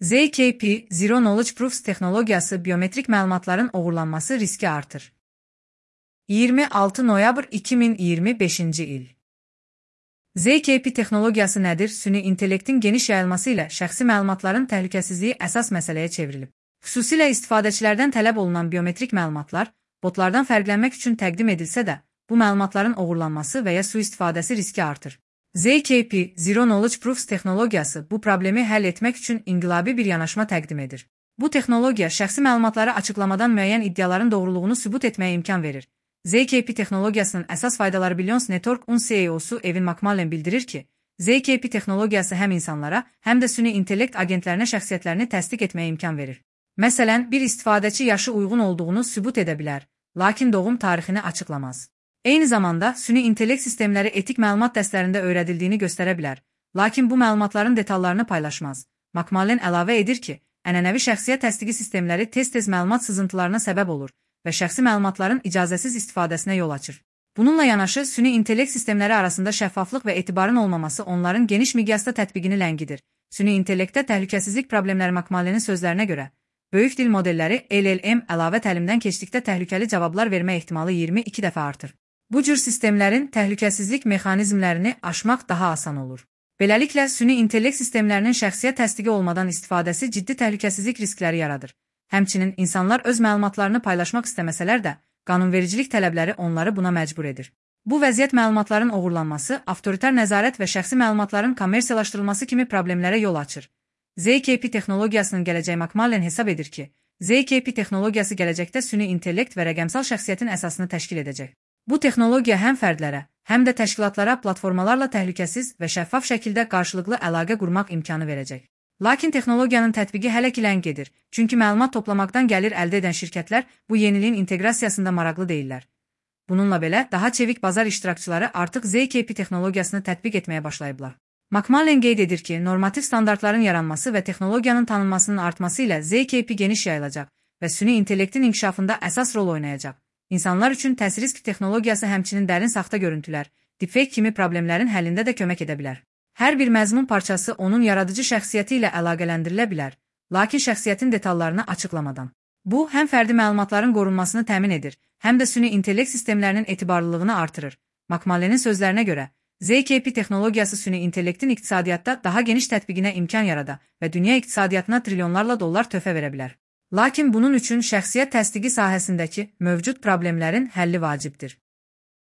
ZKP, Zero Knowledge Proofs texnologiyası biometrik məlumatların oğurlanması riski artır. 26 noyabr 2025-ci il. ZKP texnologiyası nədir? Süni intellektin geniş yayılması ilə şəxsi məlumatların təhlükəsizliyi əsas məsələyə çevrilib. Xüsusilə istifadəçilərdən tələb olunan biometrik məlumatlar, botlardan fərqlənmək üçün təqdim edilsə də, bu məlumatların oğurlanması və ya sui-istifadəsi riski artır. ZKP, Zero Knowledge Proofs texnologiyası bu problemi həll etmək üçün inqilabi bir yanaşma təqdim edir. Bu texnologiya şəxsi məlumatları açıqlamadan müəyyən iddiaların doğruluğunu sübut etməyə imkan verir. ZKP texnologiyasının əsas faydaları Billions Network-un CEO-su Evan McMullen bildirir ki, ZKP texnologiyası həm insanlara, həm də süni intellekt agentlərinə şəxsiyyətlərini təsdiq etməyə imkan verir. Məsələn, bir istifadəçi yaşı uyğun olduğunu sübut edə bilər, lakin doğum tarixini açıqlamaz. Eyni zamanda, süni intellekt sistemləri etik məlumat dəstlərində öyrədildiyini göstərə bilər, lakin bu məlumatların detallarını paylaşmaz. McMullen əlavə edir ki, ənənəvi şəxsiyyət təsdiqi sistemləri tez-tez məlumat sızıntılarına səbəb olur və şəxsi məlumatların icazəsiz istifadəsinə yol açır. Bununla yanaşı, süni intellekt sistemləri arasında şəffaflıq və etibarın olmaması onların geniş miqyasda tətbiqini ləngidir. Süni intellektdə təhlükəsizlik problemləri McMullenin sözlərinə görə, böyük dil modelləri LLM əlavə təlimdən keçdikdə təhlükəli cavablar vermə ehtimalı 22 dəfə artır. Bu cür sistemlərin təhlükəsizlik mexanizmlərini aşmaq daha asan olur. Beləliklə, süni intellekt sistemlərinin şəxsiyyət təsdiqi olmadan istifadəsi ciddi təhlükəsizlik riskləri yaradır. Həmçinin, insanlar öz məlumatlarını paylaşmaq istəməsələr də, qanunvericilik tələbləri onları buna məcbur edir. Bu vəziyyət məlumatların oğurlanması, avtoritar nəzarət və şəxsi məlumatların kommersiyalaşdırılması kimi problemlərə yol açır. ZKP texnologiyasının gələcəyi McMullen hesab edir ki, ZKP texnologiyası gələcəkdə süni intellekt və rəqəmsal şəxsiyyətin əsasını təşkil edəcək. Bu texnologiya həm fərdlərə, həm də təşkilatlara platformalarla təhlükəsiz və şəffaf şəkildə qarşılıqlı əlaqə qurmaq imkanı verəcək. Lakin texnologiyanın tətbiqi hələ ki ləng gedir, çünki məlumat toplamaqdan gəlir əldə edən şirkətlər bu yeniliyin inteqrasiyasında maraqlı deyillər. Bununla belə, daha çevik bazar iştirakçıları artıq ZKP texnologiyasını tətbiq etməyə başlayıblar. McMullen qeyd edir ki, normativ standartların yaranması və texnologiyanın tanınmasının artması ilə ZKP geniş yayılacaq və süni intellektin inkişafında əsas rol oynayacaq. İnsanlar üçün təsir-risk texnologiyası həmçinin dərin saxta görüntülər, deepfake kimi problemlərin həllində də kömək edə bilər. Hər bir məzmun parçası onun yaradıcı şəxsiyyəti ilə əlaqələndirilə bilər, lakin şəxsiyyətin detallarını açıqlamadan. Bu, həm fərdi məlumatların qorunmasını təmin edir, həm də süni intellekt sistemlərinin etibarlılığını artırır. McMullenin sözlərinə görə, ZKP texnologiyası süni intellektin iqtisadiyyatda daha geniş tətbiqinə imkan yarada və dünya iqtisadiyyatına trilyonlarla dollar töhfə verə bilər. Lakin bunun üçün şəxsiyyət təsdiqi sahəsindəki mövcud problemlərin həlli vacibdir.